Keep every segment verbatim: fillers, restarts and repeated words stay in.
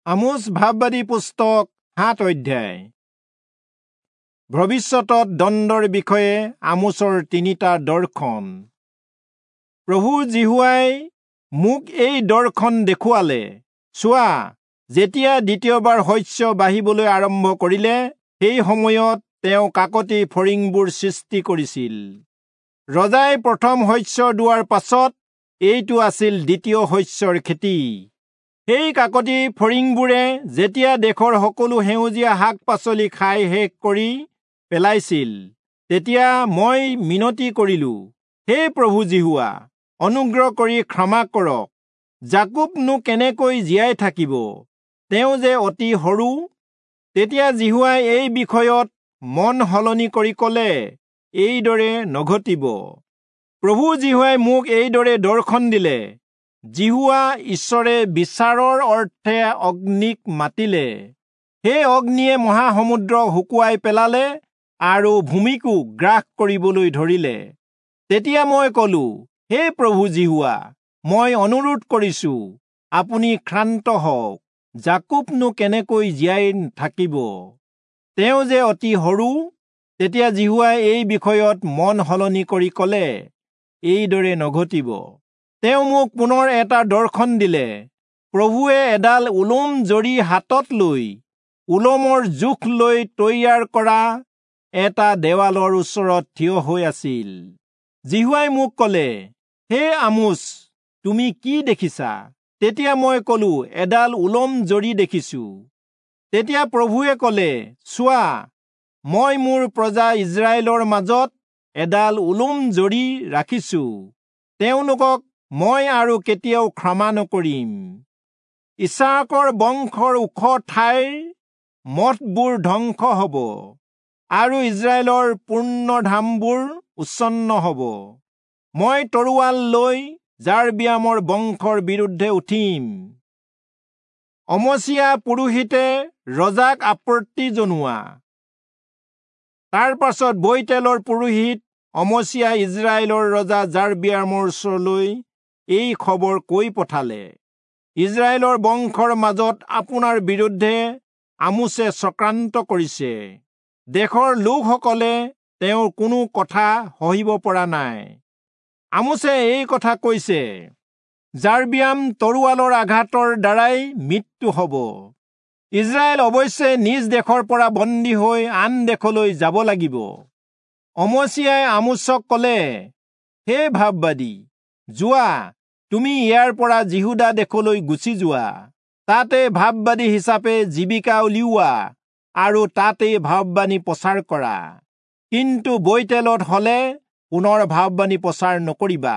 আমোচ ভাববাদী পুস্তক সাত অধ্যায়। ভৱিষ্যতত দণ্ডৰ বিষয়ে আমোচৰ তিনিটা দৰ্শন। প্ৰভু যিহোৱাই মোক এই দৰ্শন দেখুৱালে, চোৱা, যেতিয়া দ্বিতীয়বাৰ শস্য বাঢ়িবলৈ আৰম্ভ কৰিলে, সেই সময়ত তেওঁ কাকতি ফৰিংবোৰ সৃষ্টি কৰিছিল। ৰজাই প্ৰথম শস্য দোৱাৰ পাছত এইটো আছিল দ্বিতীয় শস্যৰ খেতি। সেই কাকতি ফৰিংবোৰে যেতিয়া দেশৰ সকলো সেউজীয়া শাক পাচলি খাই শেষ কৰি পেলাইছিল, তেতিয়া মই মিনতি কৰিলো, হে প্ৰভু যিহোৱা, অনুগ্ৰহ কৰি ক্ষমা কৰক। যাকোবনো কেনেকৈ জীয়াই থাকিব? তেওঁ যে অতি সৰু। তেতিয়া যিহোৱাই এই বিষয়ত মন সলনি কৰি কলে, এইদৰে নঘটিব। প্ৰভু যিহোৱাই মোক এইদৰে দৰ্শন দিলে, যিহোৱা ঈশ্বৰে বিচাৰৰ অৰ্থে অগ্নিক মাতিলে। সেই অগ্নিয়ে মহাসমুদ্ৰক শুকুৱাই পেলালে আৰু ভূমিকো গ্ৰাস কৰিবলৈ ধৰিলে। তেতিয়া মই কলো, হে প্ৰভু যিহোৱা, মই অনুৰোধ কৰিছো, আপুনি ক্ষান্ত হওক। যাকোবনো কেনেকৈ জীয়াই থাকিব? তেওঁ যে অতি সৰু। তেতিয়া যিহোৱাই এই বিষয়ত মন সলনি কৰি কলে, এইদৰে নঘটিব। তেওঁ মোক পুনৰ এটা দৰ্শন দিলে। প্ৰভুৱে এডাল ওলোম জৰী হাতত লৈ ওলোমৰ জোখ লৈ তৈয়াৰ কৰা এটা দেৱালৰ ওচৰত থিয় হৈ আছিল। যিহোৱাই মোক কলে, হে আমোচ, তুমি কি দেখিছা? তেতিয়া মই কলো, এডাল ওলোম জৰী দেখিছো। তেতিয়া প্ৰভুৱে কলে, চোৱা, মই মোৰ প্ৰজা ইজৰাইলৰ মাজত এডাল ওলোম জৰী ৰাখিছো। তেওঁলোকক মই আৰু কেতিয়াও ক্ষমা নকৰিম। ইছাকৰ বংশৰ ওখ ঠাইৰ মঠবোৰ ধ্বংস হব আৰু ইজৰাইলৰ পূৰ্ণধামবোৰ উচ্ছন্ন হব। মই তৰোৱাল লৈ যাৰবিয়ামৰ বংশৰ বিৰুদ্ধে উঠিম। অমচিয়া পুৰোহিতে ৰজাক আপত্তি জনোৱা। তাৰ পাছত বৈতেলৰ পুৰোহিত অমচিয়া ইজৰাইলৰ ৰজা যাৰবিয়ামৰ ওচৰলৈ এই খবৰ কৈ পঠালে, ইজৰাইলৰ বংশৰ মাজত আপোনাৰ বিৰুদ্ধে আমোচে চক্ৰান্ত কৰিছে। দেশৰ লোকসকলে তেওঁৰ কোনো কথা সহিব পৰা নাই। আমোচে এই কথা কৈছে, যাৰবিয়াম তৰোৱালৰ আঘাতৰ দ্বাৰাই মৃত্যু হব। ইজৰাইল অৱশ্যে নিজ দেশৰ পৰা বন্দী হৈ আন দেশলৈ যাব লাগিব। অমচিয়াই আমোচক কলে, হে ভাববাদী, যোৱা, তুমি ইয়াৰ পৰা যিহূদা দেশলৈ গুচি যোৱা। তাতে ভাববাদী হিচাপে জীৱিকা উলিওৱা আৰু তাতেই ভাববাণী প্ৰচাৰ কৰা। কিন্তু বৈতেলত হলে পুনৰ ভাববাণী প্ৰচাৰ নকৰিবা,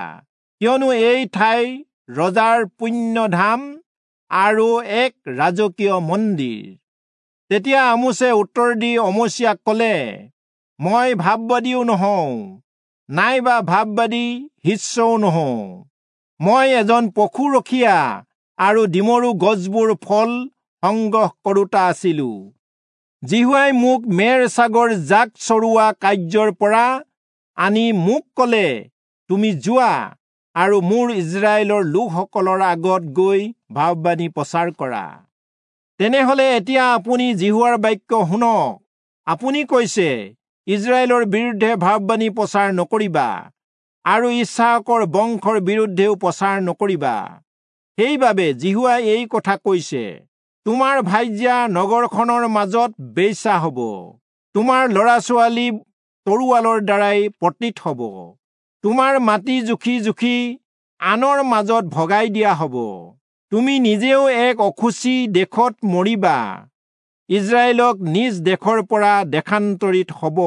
কিয়নো এই ঠাই ৰজাৰ পুণ্যধাম আৰু এক ৰাজকীয় মন্দিৰ। তেতিয়া আমোচে উত্তৰ দি অমচিয়াক কলে, মই ভাববাদীও নহওঁ, নাইবা ভাববাদী শিষ্যও নহওঁ। মই এজন পশুৰখীয়া আৰু ডিমৰু গছবোৰ ফল সংগ্ৰহ কৰোতা আছিলো। যিহোৱাই মোক মেৰ ছাগৰ জাক চৰোৱা কাৰ্যৰ পৰা আনি মোক কলে, তুমি যোৱা আৰু মোৰ ইজৰাইলৰ লোকসকলৰ আগত গৈ ভাববাণী প্ৰচাৰ কৰা। তেনেহলে এতিয়া আপুনি যিহোৱাৰ বাক্য শুনক। আপুনি কৈছে, ইজৰাইলৰ বিৰুদ্ধে ভাববাণী প্ৰচাৰ নকৰিবা আৰু ইছাকৰ বংশৰ বিৰুদ্ধেও প্ৰচাৰ নকৰিবা। সেইবাবে যিহোৱাই এই কথা কৈছে, তোমাৰ ভাৰ্যা নগৰখনৰ মাজত বেশ্যা হব, তোমাৰ ল'ৰা ছোৱালী তৰোৱালৰ দ্বাৰাই পতিত হব, তোমাৰ মাটি জুখি জুখি আনৰ মাজত ভগাই দিয়া হব। তুমি নিজেও এক অশুচি দেশত মৰিবা। ইজৰাইলক নিজ দেশৰ পৰা দেশান্তৰিত হব।